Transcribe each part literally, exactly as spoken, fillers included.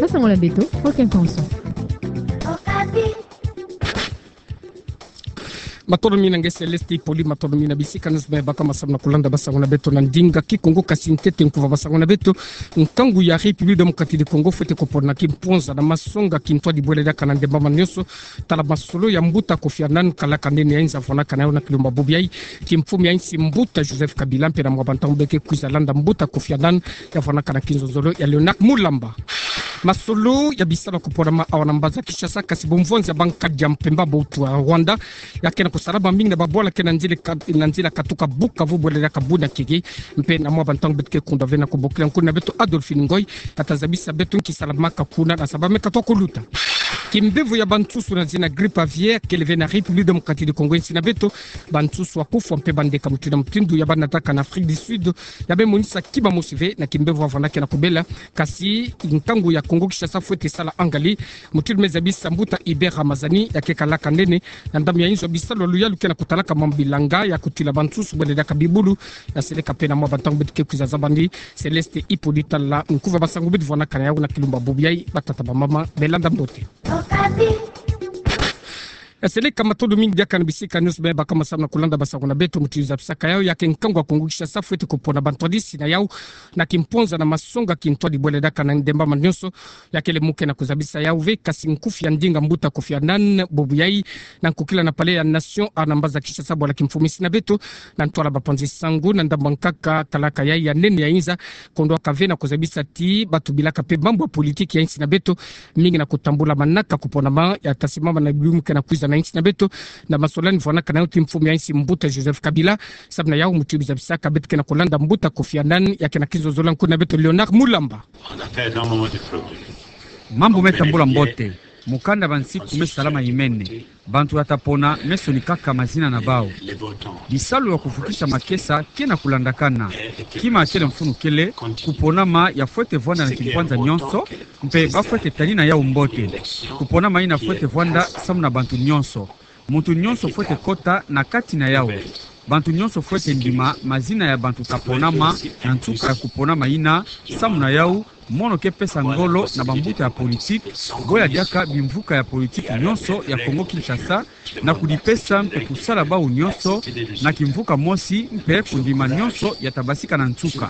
Sango na beto, Rock Intention. Matondo mingi na nge Céleste Hippolyte, matondo mingi na bisika nyonso me baka masamu na kulanda basango na beto na ndinga Kikongo. Kasi ntete nkuva basango na beto, nkangu ya République Démocratique du Congo fwete kopona kimponza na masonga kintwadi bwele diaka na ndembama nyonso, tala masolo ya mbuta Kofi Annan, kalaka nene ya inza vwanakana yawu na kilumbu bubu yayi, kimfumu ya insi mbuta Joseph Kabila, mpe na mwa bantangu beke kwiza landa mbuta Kofi Annan ya vwanakana kinzonzolo ya Léonard Mulamba. Masolo ya bisalu ya kuponama awa na mbanza Kinshasa, kasi bumvonzi ya bankadi ya mpemba bautu ya Rwanda, ya ke na kusalama mingi na babwala ke na nzila ka-, na nzila katuka Bukavu bwele diaka Bunia Keke, mpe na mwa bantangu beto ke kunda ve na kubokila nkuna na beto Adolphine Ngoy, ya ta zabisa beto nki salamaka kuna na saba me katwa kuluta. Kimbevo ya bansusu na zina grippe aviaire kele ve na République Démocratique du Congo, insi na beto, bansusu ya kufwa mpe bandeka mutindu na mutindu ya bana diaka na Afrique du Sud, ya me monisa kima mosi ve na kimbevo ya vwanda ke na kubela. Kasi nkangu ya Kongo Kinshasa fwete sala angali, mutindu me zabisa mbuta Hubert Ramazani, ya ke kalaka nene na ndambu ya inzo ya bisalu ya luyalu ke na kutalaka mambu bilanga ya kutila bansusu bwele diaka bibulu, ya seleka mpe na mwa bantangu beto ke kwiza zabandi. Céleste Hippolyte, tala nkuva basango beto vwanakana yawu na kilumbu bubu yayi. Batata, bamama, belanda mbote. Ya seleka, matondo mingi diaka na bisika nyonso me baka masamu na kulanda basango na beto. Mutindu zabisaka yawu, ya ke nkangu ya Kongo Kinshasa fwete kopona bantwadisi na yawu na kimponza na masonga kintwadi bwele diaka na ndembama nyonso, ya kele mu ke na kuzabisa yawu ve, kasi nkufi ya ndinga mbuta Kofi Annan bubu yayi na nkukila na Palais ya Nation awa na mbanza Kinshasa bwala kimfumu insi na beto, na ntwala bapanzi sango na ndambu nkaka kalaka yayi ya nene ya inza, kondwaka ve na kuzabisa ti batu bilaka mpe mambu ya politiki ya insi na beto, mingi na kutambula manaka kuponama ya ta simama na bilumbu ke na kwiza na insi na beto, na masolani vwanakana yawu ti mfumu ya insi mbuta Joseph Kabila. Samu na yawu, mutindu zabisaka beto ke na kulanda mbuta Kofi Annan, ya ke na kinzonzolo ya nkuna na beto Léonard Mulamba. Mambu me tambula mbote, mukanda bansiku me salama imene. Bantu ya ta pona me sonikaka mazina na bawu. Bisalu ya kuvukisa makesa ke na kulandakana. Kima kele mfunu kele, kuponama ya fwete vwanda na kimpwanza nyonso, mpe ba fwete tanina yawu mbote. Kuponama yina fwete vwanda samu na bantu nyonso. Muntu nyonso fwete kota na kati na yawu. Bantu nyonso fwete ndima mazina ya bantu ta ponama na nsuka ya kuponama yina. Samu na yawu, mono ke pesa ngolo na bambuta ya politiki, bo ya diaka bimvuka ya politiki nyonso ya Kongo Kinshasa, na kudipesa mpe kusala bawu nyonso na kimvuka mosi, mpe kundima nyonso ya ta basika na nsuka.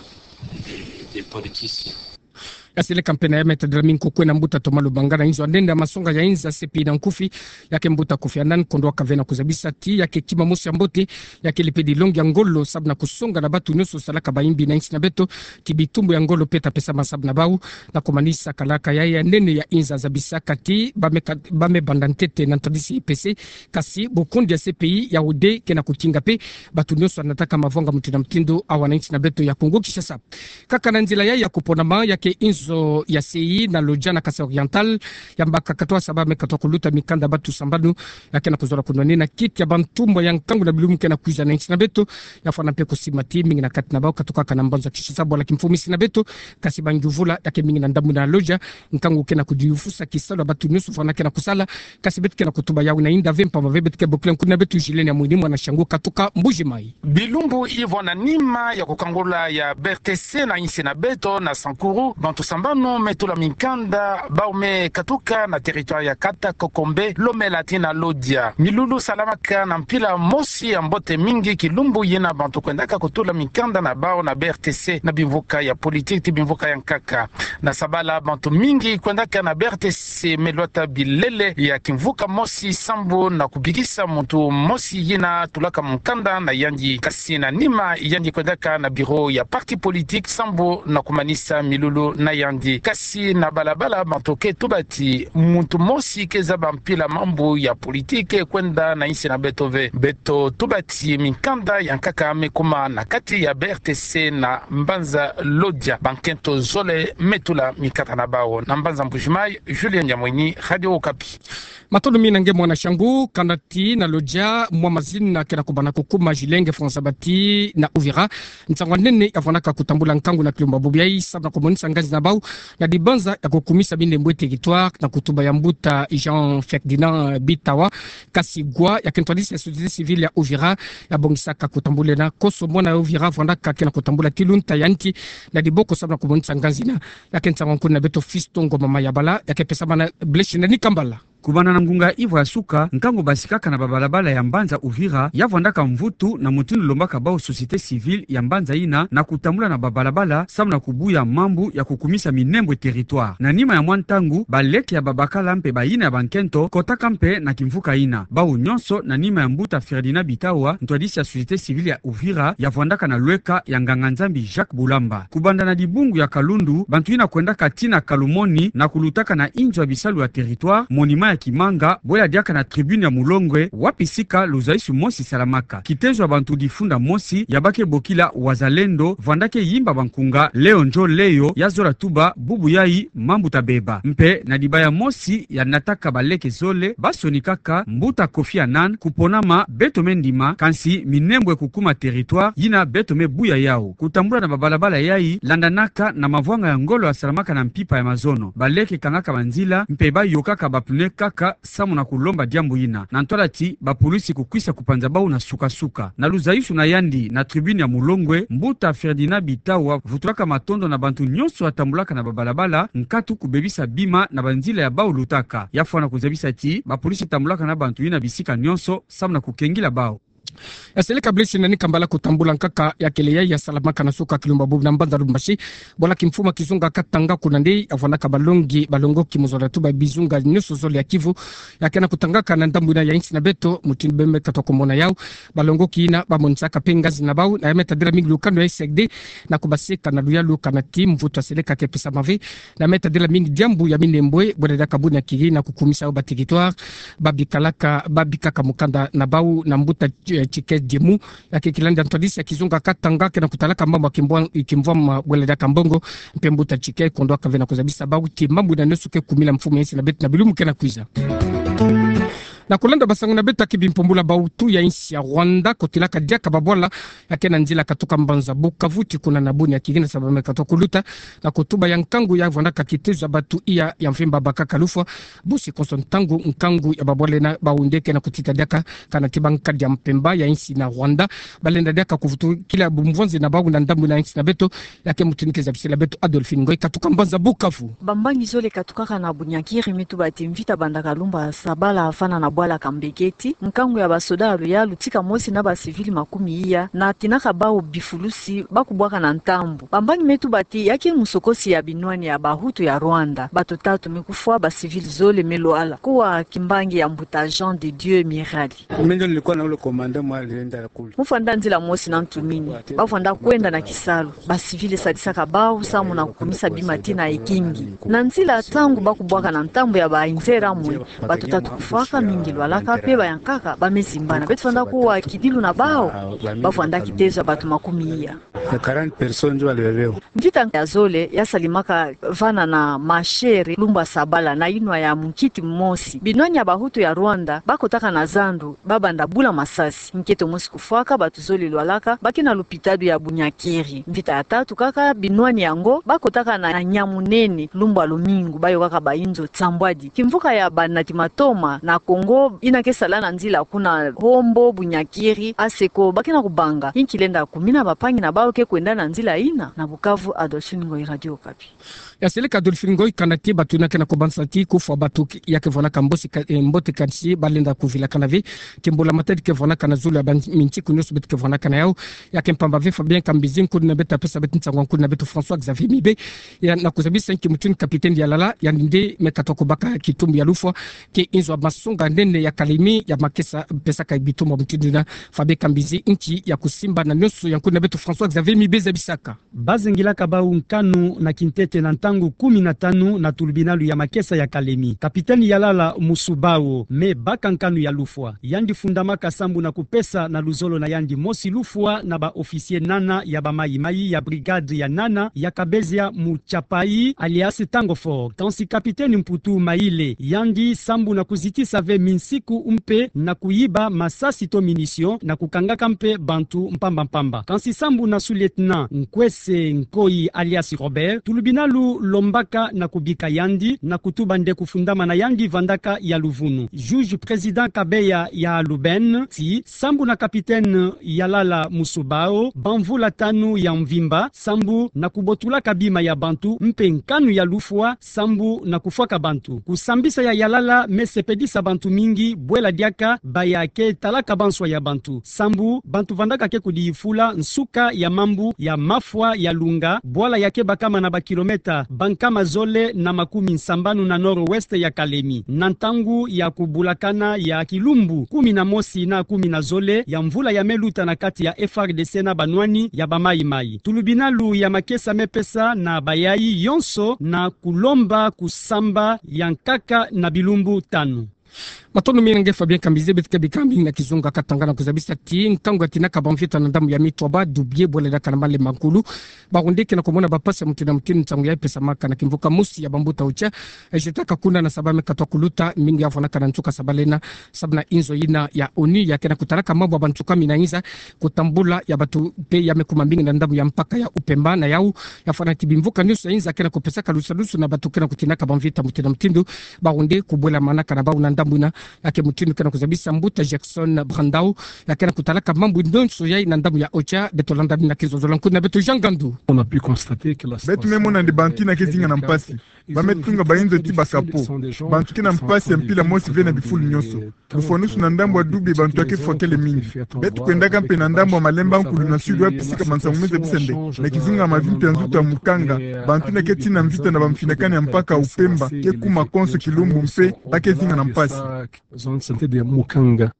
Ya seleka mpe na ya me tadila mingi ko kwena mbuta Thomas Lubanga na inzo ya nene ya masonga ya inza C P I na nkufi, ya ke mbuta Kofi Annan kondwaka ve na kuzabisa ti ya ke kima mosi ya mbote, ya kele mpe dilongi ya ngolo samu na kusonga na bantu nyonso salaka bayimbi na insi na beto, ti bitumbu ya ngolo mpe ta pesama samu na bawu, na kumanisa kalaka yayi ya nene ya inza zabisaka ti ba me ka-, ba me banda ntete na ntwadisi I P C, kasi bukundi ya C P I ya ude ke na kukinga mpe bantu nyonso ya nataka mavwanga mutindu na mutindu awa na insi na beto ya Kongo Kinshasa. Kaka na nzila yayi ya kuponama, ya ke inzo ya C I na Lodja na Kasaï Oriental, ya mbaka katwa saba me katwa kuluta mikanda bantu sambanu, ya ke na kuzola kunwanina kiti ya bantumwa ya nkangu na bilumbu ke na kwiza na insi na beto, ya fwana mpe kusimba ti mingi na kati na bawu katukaka na mbanza Kinshasa bwala kimfumu insi na beto, kasi bangyuvula ya ke mingi na ndambu na Lodja, nkangu ke na kudiyufusa kisalu ya bantu nyonso fwana ke na kusala, kasi beto ke na kutuba yawu na inda ve mpamba ve beto ke bokila nkuna na beto Julienne Amwini, mwana Shangu katuka Mbuji-Mayi. Bilumbu ivwanda nima ya kukangula ya B R T C na insi na beto na Sankuru, bantu sambanu me tula minkanda, bawu me katuka na territoire ya Kata, Kokombe, Lomela tii na Lodja. Milulu salamaka na mpila mosi ya mbote mingi kilumbu yina bantu kwendaka kutula minkanda na bawu na B R T C na bimvuka ya politiki ti bimvuka ya nkaka. Na sabala bantu mingi kwendaka na B R T C me lwata bilele ya kimvuka mosi sambu na kubikisa muntu mosi yina tulaka mukanda na yandi. Kasi na nima yandi kwendaka na bureau ya parti politique sambu na kumanisa milulu na yandi. Kasi na balabala bantu ke tuba ti muntu mosi ke zaba mpila mambu ya politique kwenda na insi na beto ve. Beto tuba ti minkanda ya nkaka me kuma na kati ya B R T C na mbanza Lodja. Bankento zole me tula minkanda na bawu. Na mbanza Mbuji-Mayi, Julien Nyamwini, Radio Okapi. Matondo mingi na nge mwana Shangu. Kanda tii na Lodja, mwa mazina ke na kubana kukuma, Julien François Bati na Uvira. Nsangu ya nene ya fwanaka kutambula nkangu na kilumbu bubu yayi, samu na kumonisa ngazi na bau na dibanza ya kukumisa minembwe territoire na kutuba ya mbuta Jean Ferdinand Bitawa Kasigwa, ya ke ntwadisi ya société civile ya Uvira, ya bongisaka kutambula na koso mwana ya Uvira vwandaka ke na kutambula kilunta ya nti na diboko samu na kumonisa nganzi ina. Ya ke nsangu ya nkuna beto Fiston Ngoma Mayabala, ya ke pesa mana Blaise Nani Kambala. Kubanda na ngunga ivwa ya suka, nkangu basikaka na babalabala ya mbanza Uvira ya vwandaka mvutu na mutindu lombaka bau société civile ya mbanza ina na kutambula na babalabala samu na kubuya mambu ya kukumisa minembwe territoire. Na nima ya mwa ntangu, baleke ya babakala mpe bayina ya bankento kotaka mpe na kimvuka ina. Bau nyonso na nima ya mbuta Ferdinand Bitawa, ntwadisi ya société civile ya Uvira ya vwandaka na lweka ya nganga-Nzambi Jacques Bulamba. Kubanda na dibungu ya Kalundu, bantu ina kwendaka tii na Kalumoni na kulutaka na inzo ya bisalu ya territoire, monument ya Kimanga, bwela diaka na tribune ya Mulongwe, wapi sika luzaisu mosi salamaka. Kitezo ya bantu difunda mosi ya ba ke bokila Wazalendo vwandaka yimba bankunga Leo Njo Leo ya zola tuba bubu yai mambu tabeba. Mpe na dibaya mosi ya nataka baleke zole, ba sonikaka mbuta Kofi Annan kuponama beto me ndima, kansi minembwe kukuma territoire yina beto me buya yau. Kutambula na babalabala yai landanaka na mavwanga ya ngolo ya salamaka na mpimpa ya mazono. Baleke kangaka banzila mpe ba yokaka ba pneu kaka samu na kulomba diambu ina. Na ntwala ti bapulisi kukwisa kupanza bau na suka-suka. Na luzaisu na yandi na tribune ya Mulongwe, mbuta Ferdinand Bitawa vutulaka matondo na bantu nyonso ya tambulaka na babalabala, nkatu kubebisa bima na banzila ya bau lutaka. Ya fwana kuzabisa ti bapulisi tambulaka na bantu ina bisika nyonso samu na kukengila bau. Ya seleka Blaise Nani Kambala kutambula nkaka ya kele yai ya salamaka na suka kilumba bubu na mbanza Lubumbashi. Bwala kimfuma kizunga Katanga kuna nde ya vwandaka balongi, balongoki mu zola tuba bizunga nyonso zole ya Kivu. Ya ke na kutangaka na ndambu ina ya insi na beto, mutindu beno me katuka kumona yau. Balongoki ina ba monisaka mpe nganzi na bau, na ya me tadila mingi lukanu ya S N D, na kubaseka na luyalu kana ti mvutu ya seleka ke pesama ve, na ya me tadila mingi diambu ya minembwe, bwela diaka Bunyakiri na kukumisa yau ba territoire, ba bikalaka, ba bikaka mukanda na bau na mbuta, eh, Tchike Diemu, ya ke kilandi ya ntwadisi ya kizunga Katanga ke na kutalaka mambu ya kimvwa-, kimvwama bwela diaka Mbongo, mpe mbuta Tchike kondwaka ve na kuzabisa bau ti mambu ina nyonso ke kumila mfumu ya insi na beto na bilumbu ke na kwiza. Na kulanda basangu na beto ya ke bimpumbula, bautu ya insi ya Rwanda kotilaka diaka babwala ya ke na nzila katuka mbanza Bukavu tii kuna na Bunyakiri na sababu me katuka kuluta na kutuba ya nkangu ya vwandaka kitezo ya bantu iya ya mvimba bakaka lufwa. Bosi konso ntangu nkangu ya babwala ina bau nde ke na kutita diaka kana ti bankadi ya mpemba ya insi na Rwanda balenda diaka kuvutukila bumvwanzi na bau na ndambu ina ya insi na beto. Ya ke mutindu ke zabisila beto Adolphine Ngoyi katuka mbanza Bukavu. Bambangi zole katukaka na Bunyakiri me tuba ti mvita bandaka lumba sabala vana na bwala Kambeketi, nkangu ya basoda ya luyalu tika mosi na bacivil makumi iya na tinaka bau bifulusi ba kubwaka na ntambu. Bambangi me tuba ti ya ke musokosi ya binwani ya bahutu ya Rwanda, bato tatu me kufwa, bacivil zole me lwala. Kuwa kimbangi ya mbuta Jean de Dieu Mirali. Mimi ndio nilikuwa na ule komanda mwa alienda kule. Mu fwanda nzila mosi na ntumini, ba fwanda kwenda na kisalu. Bacivil sadisaka bau samu na kukumisa bima tii na ekingi. Na nzila, ntangu ba kubwaka na ntambu ya ba inzera mwe, bato tatu kufwaka, mingi lwalaka, mpe bayankaka ba me zimbana. Beto fwanda kuwa kidilu na bau, ba fwanda kitezo ya bato makumi iya. Na quarante personnes ndio walibebwa. Mvita ya zole ya salimaka vana na mashere lumba sabala na inwa ya munkiti mosi. Binwani ya bahutu ya Rwanda ba kotaka na zandu, ba banda bula masasi. Nkento mosi kufwaka, bato zole lwalaka, ba ke na lupitalu ya Bunyakiri. Mvita ya tatu kaka, binwani yango ba kotaka na Nyamunene lumba lumingu, ba yokaka bainzo nsambwadi. Kimvuka ya banati matoma na Kongo ina ke sala na nzila kuna Hombo, Bunyakiri, Aseko, ba ke na kubanga inki lenda kumina bampangi na bau ke kwenda na nzila ina. Na Bukavu, Adolphine Ngoyi, Radio Okapi. Ya seleka Adolphine Ngoyi, kana ti bato ina ke na kubanza ti kufwa bato ki-, ya ke vwanaka mbosi ka-, eh, mbote, kansi balenda kuvilakana ve ti mbula-matadi ke vwanaka na zulu ya ba minsiku nyonso beto ke vwanaka na yau. Ya ke mpamba ve Fabien Kambizi, nkudi na beto, apesa beto nsangu, nkudi na beto François Xavier Mibe, ya na kuzabisa nki mutindu capitaine Yalala, yandi nde me katuka kubaka kitumbu ya lufwa, ke inzo ya masonga nene ya Kalemi ya makesa pesaka bitumbu mutindu ina. Fabien Kambizi, nki ya kusimba na nyonso ya nkudi na beto François Xavier Mibe zabisaka. Ba zengilaka bau nkanu na kintete na ntangu kumi na tanu na tulubinalu ya makesa ya Kalemi. Capitaine Yalala Musubao me baka nkanu ya lufwa. Yandi fundamaka sambu na kupesa na luzolo na yandi mosi lufwa na ba officier nana ya ba mayi-mayi ya brigade ya nana ya Kabezia Muchapai, alias Tango Fort. Kansi capitaine Mputu Maile, yandi sambu na kuzitisa ve minsiku mpe na kuyiba masasi to munition na kukangaka mpe bantu mpamba-mpamba. Kansi sambu na Lieutenant Nkwese Nkoyi alias Robert, tulubinalu lombaka na kubika yandi na kutuba nde kufundamana yandi vandaka ya luvunu. Juge président Kabeya ya Luben ti sambu na capitaine Yalala Musubao, bamvula tanu ya mvimba, sambu na kubotulaka bima ya bantu mpe nkanu ya lufwa, sambu na kufwaka bantu. Kusambisa ya Yalala me sepelisa bantu mingi, bwela diaka baya ke talaka banswa ya bantu. Sambu bantu vandaka ke kudifula nsuka ya mambu ya mafwa ya lunga, bwala ya ke bakama na ba kilomètre bankama zole na makumi nsambanu na nord-ouest ya Kalemi. Na ntangu ya kubulakana ya kilumbu kumi na mosi na kumi na zole ya mvula ya me luta na kati ya F R D C na banwani ya ba Maï-Maï. Tulubinalu ya makesa me pesa na bayai yonso na kulomba kusamba ya nkaka na bilumbu tanu. Matondo mingi na nge Fabien Kambize. Beto ke bika mingi na kizunga katanga na kuzabisa ti ntangu ya tinaka bamvita na ndambu ya Mitwaba, Dubié, bwela diaka na Malemba Nkulu, bawu nde ke na kumona bampasi ya mutindu na mutindu ntangu ya pesamaka na kimvuka mosi ya bambuta OCHA, eh, jetaka kuna na saba me katwa kuluta, mingi ya vwanaka na nsuka saba lena, sababu na inzo ina ya ONU ya ke na kutalaka mambu ya bansuka mina inza, kutambula ya bato mpe ya me kuma mingi na ndambu ya mpaka ya Upemba. Na yawu, ya fwana ti bimvuka nionso ya inza ke na kupesaka lusalusu na bato ke na kutinaka bamvita mutindu na mutindu, bawu nde kubwelamanaka na bawu na ndambu ina. Ya ke mutindu ke na kuzabisa mbuta Jackson Brandao, ya ke na kutalaka mambu nionso yai na ndambu ya OCHA. Beto landa mina kizozolo nkuna beto Jean Gandu. On a pu constater que la situation... Beto me mona nde bantu ina ke zinga na mpasi. Ba me tunga bainzo ti baka po. Bantu ke na mpasi ya mpila mosi ve na bifulu nionso. Lufwanusu na ndambu ya Dubié bantu ya ke fwakele mingi. Beto kwendaka mpe na ndambu ya Malemba Nkulu na sud, wapi sika mansangu me zabisa nde na kizunga mavimpi ya nzutu ya mukanga, bantu ina ke tina mvita na bamfinakani ya mpaka Upemba ke kuma konso kilumbu mpe ba ke zinga na mpasi. Zone de santé de Mukanga.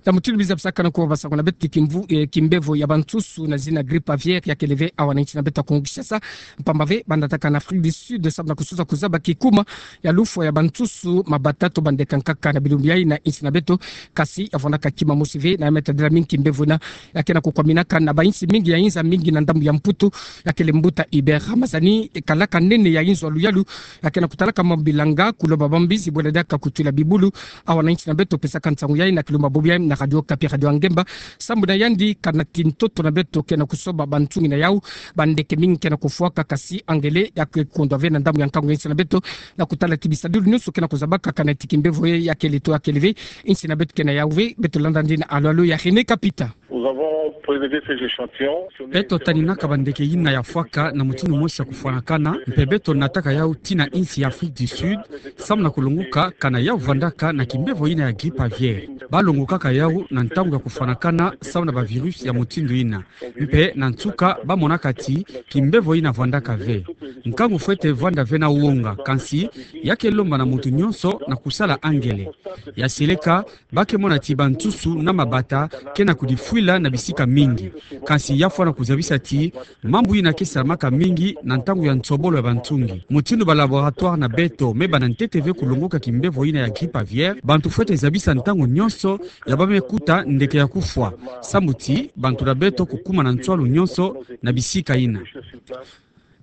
Na mutindu biza bisaka na kuwa basango na beto ti kimvu, eh, kimbevo ya bansusu na zina grippe aviaire ya kele ve awa na insi na beto ya Kongo Kinshasa. Mpamba ve, ba nataka na Afrique du Sud, sababu na kususa kuzaba kikuma ya lufwa ya bansusu, mabata to bandeke ya nkaka na bilumbu yai na insi na beto. Kasi ya vwanaka kima mosi ve na ya me tadila mingi kimbevo ina ya ke na kukwaminaka na bainsi mingi ya inza, mingi na ndambu ya Mputu, ya kele mbuta Hubert Ramazani, kalaka nene ya inzo ya luyalu, ya ke na kutalaka mambu bilanga, kulomba bambizi, bwela diaka kutwila bibulu. Awa na insi na beto pesaka nsangu yai na kilumbu ya bobo yai na Radio Okapi, Radio ya ngemba. Sambu na yandi kana ti ntoto na beto ke na kusoba bansungi na yawu, bandeke mingi ke na kufwaka, kasi angele ya ke kukondwa ve na ndambu ya nkangu ya insi na beto, na kutala ti bisadulu nionso ke na kuzabaka kana ti kimbevo ya kele to ya kele ve, insi na beto ke na yawu ve. Beto landa nde na alo-alo ya René Kapita. Nous avons prélevé ces échantillons. Beto taninaka bandeke ina ya fwaka na mutindu mosi ya kufwanakana, mpe beto nataka yawu tii na insi ya Afrique du Sud, samu na kulongoka kana yawu vandaka na kimbevo ina ya grippe aviaire. Ba longokaka yawu na ntangu ya kufwanakana samu na ba virus ya mutindu ina. Mpe na nsuka ba monaka ti kimbevo ina vandaka ve. Nkangu fwete vanda ve na wonga, kansi ya ke lomba na muntu nionso na kusala angele. Ya seleka, ba ke mona ti bansusu na mabata ke na kudifwila na bisika mingi. Kansi ya fwana kuzabisa ti mambu ina ke salamaka mingi na ntangu ya nsobolo ya bansungi. Mutindu ba laboratoire na beto me banda ntete ve kulongoka kimbevo ina ya grippe aviaire, bantu fwete zabisa ntangu nionso ya ba me kuta ndeke ya kufwa, samu ti bantu na beto kukuma na nswalu nionso na bisika ina.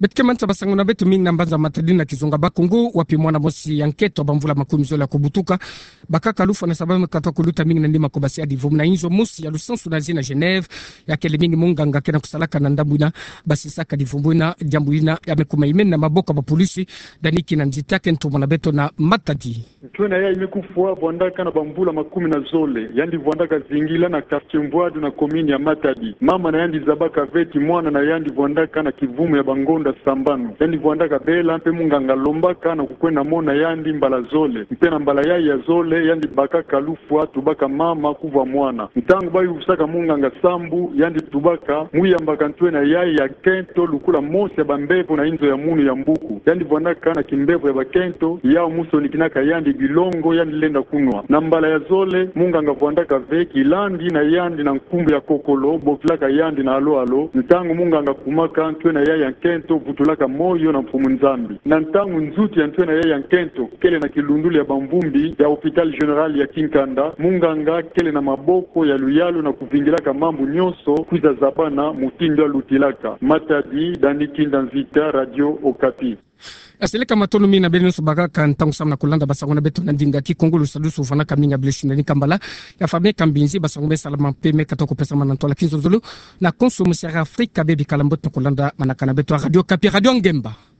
Beto ke manisa basango na beto mingi na mbanza Matadi na kizunga Bas-Congo, wapi mwana mosi ya nkento ya bamvula makumizole ya kubutuka bakaka lufwa na sababu me katwa kuluta mingi na nima ko basi ya divumbu na inzo mosi ya lusansu na zina Genève, ya kele mingi munganga ke na kusalaka na ndambu ina, basisaka divumbu ina, diambu ina ya me kuma imeni na maboko ya bapolisi. Dani Kinanzita ke ntomo na beto na Matadi. Ntwenya yayi me kufwa vwandaka na bamvula makumi na zole, yandi vwandaka zingila na quartier Mvwadu na commune ya Matadi. Mama na yandi zabaka ve ti mwana na yandi vwandaka na kivumu ya bangonda sambanu. Yandi vwandaka bela mpe munganga lombaka na kukwenda mona yandi mbala zole. Mpe na mbala yayi ya zole, yandi bakaka lufwa, tubaka mama kuvwa mwana. Ntangu ba yuvusaka munganga sambu, yandi tubaka mu yambaka ntwenya yayi ya nkento lukula mosi ya bambevo na inzo ya munu ya mbuku. Yandi vwandaka na kimbevo ya bakento, yawu mu sonikinaka yandi bilongo yandi lenda kunwa. Na mbala ya zole, munganga vwandaka ve kilandi na yandi na nkumbu ya kokolo, bokilaka yandi na alo-alo. Ntangu munganga kumaka, ntwenya yayi ya nkento vutulaka moyo na Mfumu Nzambi. Na ntangu nzuti ya ntwenya yayi ya nkento kele na kilundulu ya bamvumbi ya Hôpital Général ya Kinkanda, munganga kele na maboko ya luyalu na kuvingilaka mambu nionso kwiza zabana mutindu ya lutilaka. Matadi, Dani Kinanzita, Radio Okapi. Asele ka matono mi na bele nionso bakala ka ntangu sa mana kolanda basango na beto na ndinga Kikongo. Lusadusu fana ka mi nga Blaise Ndani Kambala. Ya fami ka mbinzi basango me sala mampe me kata ko pesa mana ntwala kinzonzolo. Na konso musiara Afrika bebi kala mbote na kolanda mana kana beto a Radio Okapi, Radio Ngemba.